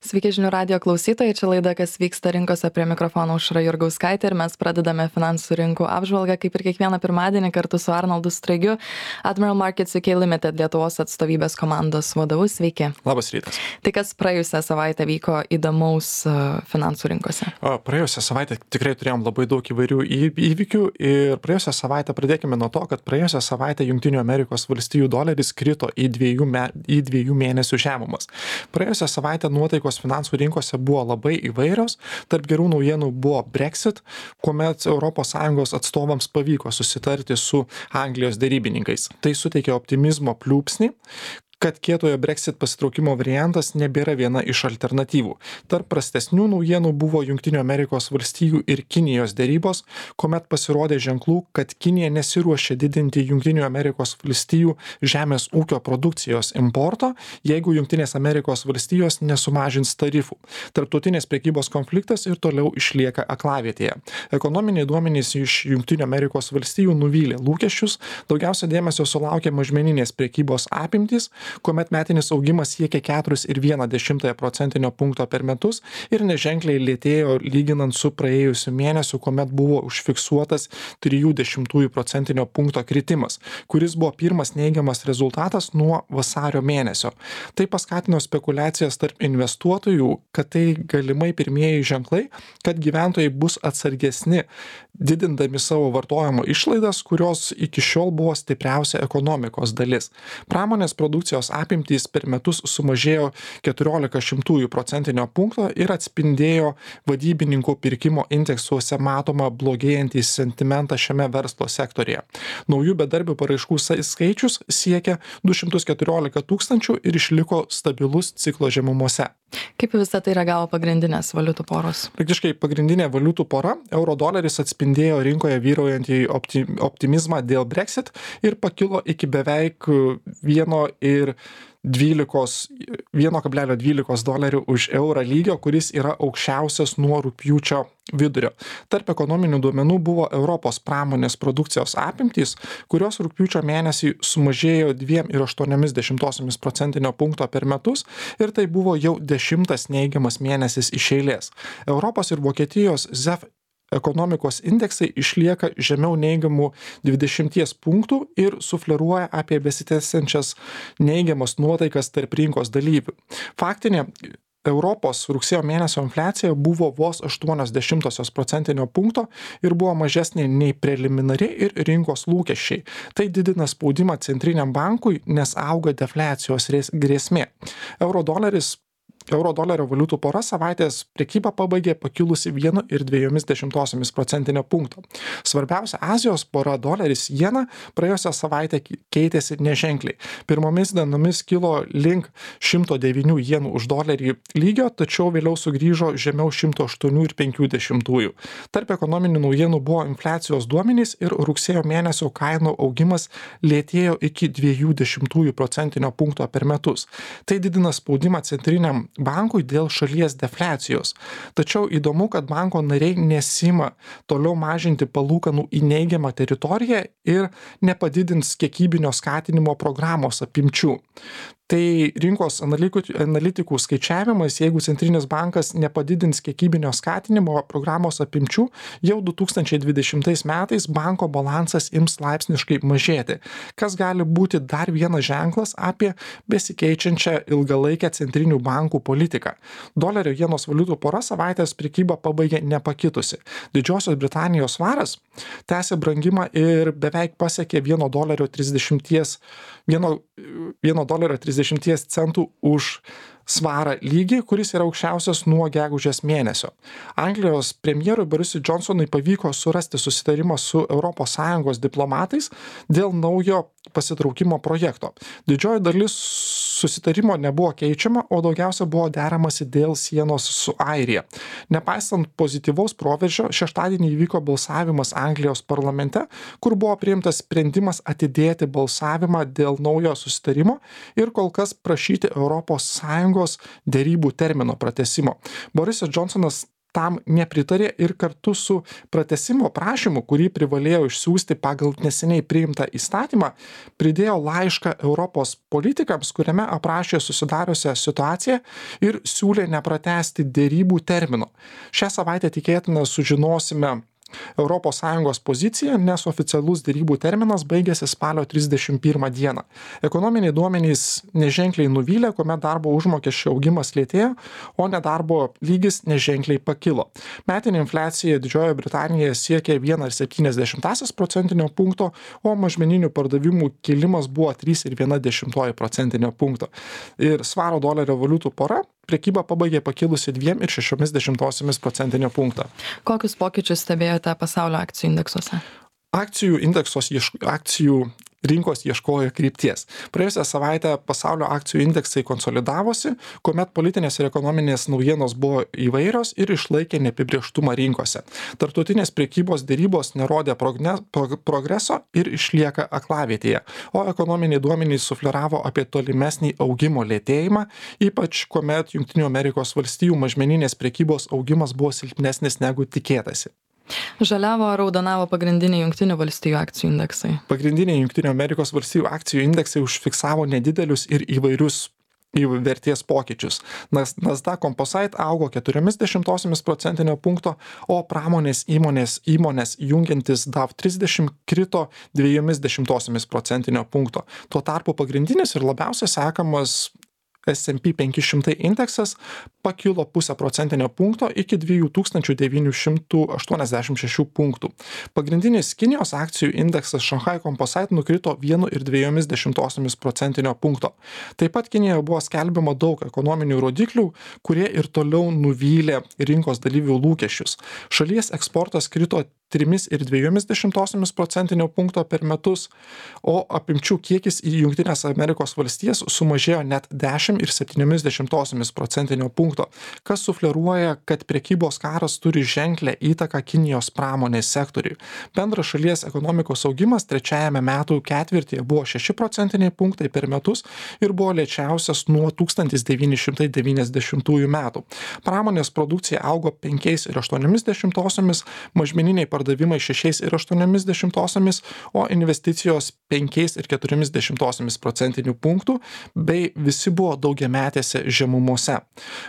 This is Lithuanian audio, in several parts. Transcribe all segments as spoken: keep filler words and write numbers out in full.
Sveiki žinių radijo klausytojai, čia laida Kas vyksta rinkose, prie mikrofono Aušra Jurgauskaitė ir mes pradedame finansų rinkų apžvalgą, kaip ir kiekvieną pirmadienį kartu su Arnoldu Straigiu, Admiral Markets U K Limited Lietuvos atstovybės komandos vadovu. Sveiki. Labas rytas. Tai kas praėjusią savaitę vyko įdomaus uh, finansų rinkose? O, praėjusią savaitę tikrai turėjom labai daug įvairių įvykių ir praėjusią savaitę pradėkime nuo to, kad praėjusią savaitę Jungtinių Amerikos valstijų doleris krito į dviejų, me, į dviejų mėnesių žemumas. Praėjusią savaitę nuotaikos finansų rinkose buvo labai įvairios. Tarp gerų naujienų buvo Brexit, kuomet Europos Sąjungos atstovams pavyko susitarti su Anglijos derybininkais. Tai suteikė optimizmo pliūpsnį, kad kietojo Brexit pasitraukimo variantas nebėra viena iš alternatyvų. Tarp prastesnių naujienų buvo Jungtinių Amerikos valstijų ir Kinijos derybos, kuomet pasirodė ženklų, kad Kinija nesiruošia didinti Jungtinių Amerikos valstijų žemės ūkio produkcijos importo, jeigu Jungtinės Amerikos valstijos nesumažins tarifų. Tarptautinės prekybos konfliktas ir toliau išlieka aklavietėje. Ekonominiai duomenys iš Jungtinių Amerikos valstijų nuvylė lūkesčius, daugiausia dėmesio sulaukė mažmeninės prekybos apimtys, kuomet metinis augimas siekia keturi ir vieną dešimtąją procentinio punkto per metus ir neženkliai lėtėjo lyginant su praėjusiu mėnesiu, kuomet buvo užfiksuotas trijų dešimtųjų procentinio punkto kritimas, kuris buvo pirmas neigiamas rezultatas nuo vasario mėnesio. Tai paskatino spekulacijas tarp investuotojų, kad tai galimai pirmieji ženklai, kad gyventojai bus atsargesni, didindami savo vartojimo išlaidas, kurios iki šiol buvo stipriausia ekonomikos dalis. Pramonės produkcijos apimtys per metus sumažėjo keturiolika šimtųjų procentinio punkto ir atspindėjo vadybininkų pirkimo indeksuose matomą blogėjantį sentimentą šiame verslo sektorėje. Naujų bedarbių paraiškų skaičius siekia du šimtus keturiolika tūkstančių ir išliko stabilus ciklo žemumose. Kaip visą tai reagavo pagrindinės valiutų poros? Praktiškai pagrindinė valiutų pora, euro doleris atspindėjo rinkoje vyraujantį optimizmą dėl Brexit ir pakilo iki beveik vieno ir vieno kablelis dvylika dolerių už eurą lygio, kuris yra aukščiausias nuo rugpjūčio vidurio. Tarp ekonominių duomenų buvo Europos pramonės produkcijos apimtys, kurios rugpjūčio mėnesį sumažėjo dvi ir aštuonios dešimtosios procentinio punkto per metus ir tai buvo jau dešimtas neigiamas mėnesis iš eilės. Europos ir Vokietijos Z E F ekonomikos indeksai išlieka žemiau neigiamų dvidešimties punktų ir sufleruoja apie besitęsiančias neigiamas nuotaikas tarp rinkos dalyvių. Faktinė Europos rugsėjo mėnesio infliacija buvo vos aštuonios dešimtosios procentinio punkto ir buvo mažesnė nei preliminari ir rinkos lūkesčiai. Tai didina spaudimą centriniam bankui, nes auga defliacijos grėsmė. Euro doleris Euro dolerio valiutų pora savaitės prekybą pabaigė pakilusi vienu ir dviejomis dešimtosiomis procentinio punkto. Svarbiausia Azijos pora doleris jena praėjusią savaitę keitėsi neženkliai. Pirmomis dienomis kilo link šimto devynių jenų už dolerį lygio, tačiau vėliau sugrįžo žemiau šimto aštuonių ir penkių dešimtųjų. Tarp ekonominių naujienų buvo infliacijos duomenys ir rugsėjo mėnesio kainų augimas lėtėjo iki dviejų dešimtųjų procentinio punkto per metus. Tai didina spaudimą centriniam bankui dėl šalies defliacijos. Tačiau įdomu, kad banko nariai nesima toliau mažinti palūkanų į neigiamą teritoriją ir nepadidins kiekybinio skatinimo programos apimčių. Tai rinkos analitikų skaičiavimais, jeigu centrinis bankas nepadidins kiekybinio skatinimo programos apimčių, jau du tūkstančiai dvidešimtais metais banko balansas ims laipsniškai mažėti, kas gali būti dar vienas ženklas apie besikeičiančią ilgalaikę centrinių bankų politiką. Dolerio jenos valiutų pora savaitės prekybą pabaigė nepakitusi. Didžiosios Britanijos svaras tęsė brangimą ir beveik pasiekė vieno dolerio trisdešimties centų už svarą lygį, kuris yra aukščiausias nuo gegužės mėnesio. Anglijos premjerui Borisui Johnsonui pavyko surasti susitarimą su Europos Sąjungos diplomatais dėl naujo pasitraukimo projekto. Didžioji dalis susitarimo nebuvo keičiama, o daugiausia buvo deramasi dėl sienos su Airija. Nepaisant pozityvaus proveržio, šeštadienį įvyko balsavimas Anglijos parlamente, kur buvo priimtas sprendimas atidėti balsavimą dėl naujo susitarimo ir kol kas prašyti Europos Sąjungos derybų termino pratęsimo. Borisas Johnsonas tam nepritarė ir kartu su pratęsimo prašymu, kurį privalėjo išsiųsti pagal neseniai priimtą įstatymą, pridėjo laišką Europos politikams, kuriame aprašė susidariusią situaciją ir siūlė nepratęsti dėrybų termino. Šią savaitę tikėtina sužinosime Europos Sąjungos poziciją, nes oficialus dėrybų terminas baigėsi spalio trisdešimt pirmą dieną. Ekonominiai duomenys neženkliai nuvylė, kuomet darbo užmokesčio augimas lėtėjo, o nedarbo lygis neženkliai pakilo. Metinė infliacija Didžiojoje Britanijoje siekė vieną ir septynias dešimtąsias procentinio punkto, o mažmeninių pardavimų kilimas buvo trys ir viena dešimtoji procentinio punkto. Ir svaro dolerio valiutų pora prekyba pabaigė pakilusi dviem ir šešiomis dešimtosiomis procentinio punkto. Kokius pokyčius stebėjote pasaulio akcijų indeksuose? Akcijų indeksos, akcijų rinkos ieškojo krypties. Praėjusią savaitę pasaulio akcijų indeksai konsolidavosi, kuomet politinės ir ekonominės naujienos buvo įvairios ir išlaikė neapibrėžtumą rinkose. Tarptautinės prekybos dėrybos nerodė progne, progreso ir išlieka aklavietėje, o ekonominiai duomenys sufleravo apie tolimesnį augimo lėtėjimą, ypač kuomet Jungtinių Amerikos valstijų mažmeninės prekybos augimas buvo silpnesnis negu tikėtasi. Žaliavo ar raudonavo pagrindiniai Jungtinių valstijų akcijų indeksai? Pagrindiniai Jungtinių Amerikos valstijų akcijų indeksai užfiksavo nedidelius ir įvairius į vertės pokyčius. Nasdaq Composite augo keturiomis dešimtosiomis procentinio punkto, o pramonės įmonės įmonės jungiantis D A V trisdešimt krito dviejomis dešimtosiomis procentinio punkto. Tuo tarpu pagrindinis ir labiausiai sekamas S and P penki šimtai indeksas pakilo pusę procentinio punkto iki dviejų tūkstančių devynių šimtų aštuoniasdešimt šešių punktų. Pagrindinis Kinijos akcijų indeksas Shanghai Composite nukrito vienu ir dviejomis dešimtosiomis procentinio punkto. Taip pat Kinijoje buvo skelbiama daug ekonominių rodiklių, kurie ir toliau nuvylė rinkos dalyvių lūkesčius. Šalies eksportas krito trimis ir dviejomis dešimtosiomis procentinio punkto per metus, o apimčių kiekis į Jungtinės Amerikos valstijas sumažėjo net dešimt ir septyniomis dešimtosiomis procentinio punkto, kas sufleruoja, kad prekybos karas turi ženklę įtaką Kinijos pramonės sektoriui. Bendras šalies ekonomikos augimas trečiajame metų ketvirtyje buvo šeši procentiniai punktai per metus ir buvo lėčiausias nuo tūkstantis devyni šimtai devyniasdešimtųjų metų. Pramonės produkcija augo penkiais ir aštuoniomis dešimtosiomis, mažmeniniai pardavimai šešiais ir aštuoniomis dešimtosiomis, o investicijos penkiais ir keturiomis dešimtosiomis procentinių punktų, bei visi buvo daugiametėse žemumose.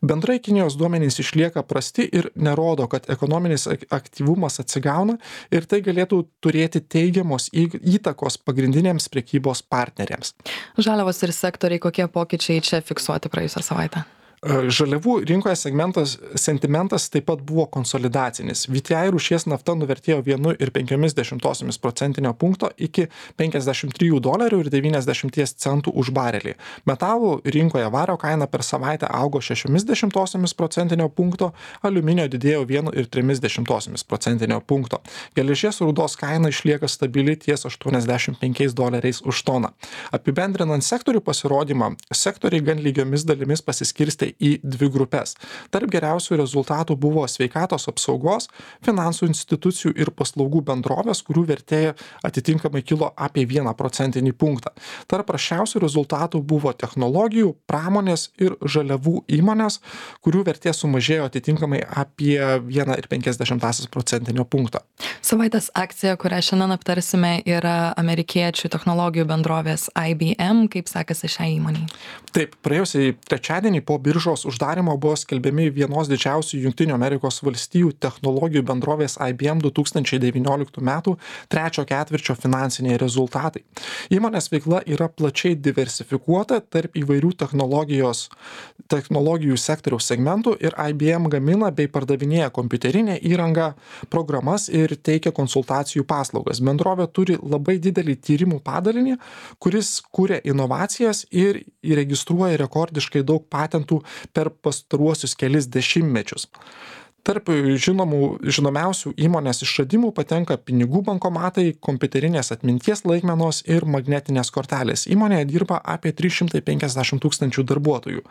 Bendrai Kinijos duomenys išlieka prasti ir nerodo, kad ekonominis aktyvumas atsigauna ir tai galėtų turėti teigiamos įtakos pagrindinėms prekybos partneriams. Žaliavos ir sektoriai, kokie pokyčiai čia fiksuoti praėjusią savaitę? Žaliavų rinkoje segmentas sentimentas taip pat buvo konsolidacinis. V T I rūšies nafta nuvertėjo vienu ir penkiomis dešimtosiomis procentinio punkto iki penkiasdešimt trijų dolerių ir devyniasdešimt centų už barelį. Metalų rinkoje vario kaina per savaitę augo šešiomis dešimtosiomis procentinio punkto, aliuminio didėjo vienu ir trimis dešimtosiomis procentinio punkto. Geležies rūdos kaina išlieka stabili ties aštuoniasdešimt penkiais doleriais už toną. Apibendrinant sektorių pasirodymą, sektoriai gan lygiomis dalimis pasiskirstė į dvi grupės. Tarp geriausių rezultatų buvo sveikatos apsaugos, finansų institucijų ir paslaugų bendrovės, kurių vertė atitinkamai kilo apie vieną procentinį punktą. Tarp prasčiausių rezultatų buvo technologijų, pramonės ir žaliavų įmonės, kurių vertė sumažėjo atitinkamai apie vieną ir penkias dešimtąsias procentinio punkto. Savaitės akcija, kurią šiandien aptarsime, yra amerikiečių technologijų bendrovės I B M. Kaip sekasi šiai įmonei? Taip, praėjusiai trečiadienį po biržos uždarimo buvo skelbiami vienos didžiausių Jungtinių Amerikos valstijų technologijų bendrovės I B M du tūkstančiai devynioliktų metų trečio ketvirčio finansiniai rezultatai. Įmonės veikla yra plačiai diversifikuota tarp įvairių technologijos, technologijų sektoriaus segmentų ir I B M gamina bei pardavinėja kompiuterinę įrangą, programas ir teikia konsultacijų paslaugas. Bendrovė turi labai didelį tyrimų padalinį, kuris kuria inovacijas ir įregistruoja rekordiškai daug patentų per pastaruosius kelis dešimtmečius. Tarp žinomų, žinomiausių įmonės išradimų patenka pinigų bankomatai, kompiuterinės atminties laikmenos ir magnetinės kortelės. Įmonėje dirba apie trys šimtai penkiasdešimt tūkstančių darbuotojų.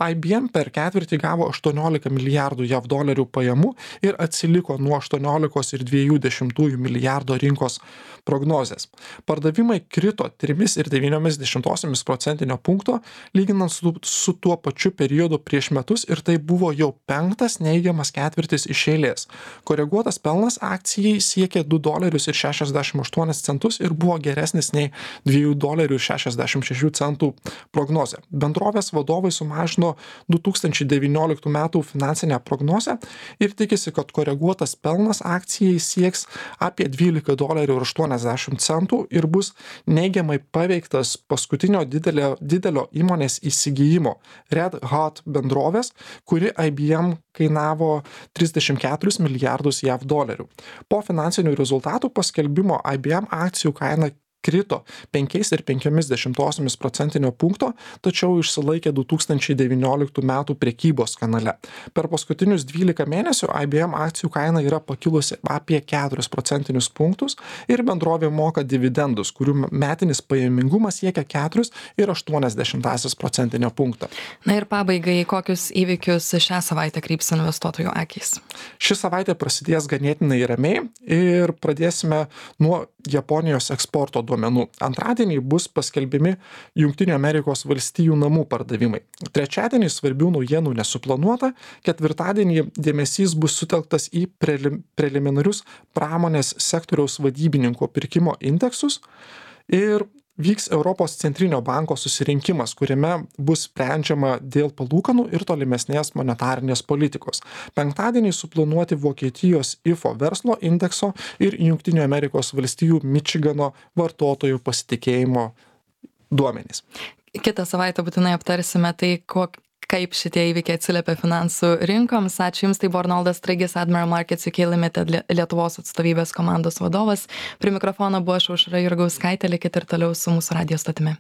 I B M per ketvirtį gavo aštuoniolika milijardų J A V dolerių pajamų ir atsiliko nuo aštuoniolikos ir dviejų dešimtųjų milijardo rinkos prognozės. Pardavimai krito trimis ir devyniomis dešimtosiomis procentinio punkto, lyginant su, su tuo pačiu periodu prieš metus, ir tai buvo jau penktas neigiamas ketvirtis ketvirtis iš eilės. Koreguotas pelnas akcijai siekė du dolerius ir šešiasdešimt aštuonis centus ir buvo geresnis nei dviejų dolerių ir šešiasdešimt šešių centų prognozė. Bendrovės vadovai sumažino du tūkstančiai devynioliktų metų finansinę prognozę ir tikisi, kad koreguotas pelnas akcijai sieks apie dvylika dolerių ir aštuoniasdešimt centų ir bus neigiamai paveiktas paskutinio didelio, didelio įmonės įsigijimo Red Hat bendrovės, kuri I B M kainavo trisdešimt keturis milijardus JAV dolerių. Po finansinių rezultatų paskelbimo I B M akcijų kaina krito penkiais ir penkiomis dešimtosiomis procentinio punkto, tačiau išsilaikė du tūkstančiai devynioliktų metų prekybos kanale. Per paskutinius dvylika mėnesių I B M akcijų kaina yra pakilusi apie keturis procentinius punktus ir bendrovė moka dividendus, kurių metinis pajamingumas siekia keturis ir aštuonias dešimtąsias procentinio punkto. Na ir pabaigai, kokius įvykius šią savaitę kryps investuotojų akys? Ši savaitė prasidės ganėtinai ramiai ir pradėsime nuo Japonijos eksporto duomenų. Antradienį bus paskelbimi Jungtinių Amerikos valstijų namų pardavimai. Trečiadienį svarbių naujienų nesuplanuota, ketvirtadienį dėmesys bus sutelktas į prelim, preliminarius pramonės sektoriaus vadybininko pirkimo indeksus ir vyks Europos centrinio banko susirinkimas, kuriame bus sprendžiama dėl palūkanų ir tolimesnės monetarinės politikos. Penktadienį suplanuoti Vokietijos I F O verslo indekso ir Jungtinių Amerikos valstijų Mičigano vartotojų pasitikėjimo duomenys. Kitą savaitę būtinai aptarsime tai, kok, kaip šitie įvykiai atsiliepia finansų rinkoms. Ačiū Jums, tai buvo Arnoldas Straigis, Admiral Markets U K Limited Lietuvos atstovybės komandos vadovas. Prie mikrofono buvo aš Aušra Jurgauskaitė, likit ir toliau su mūsų radijo stotimi.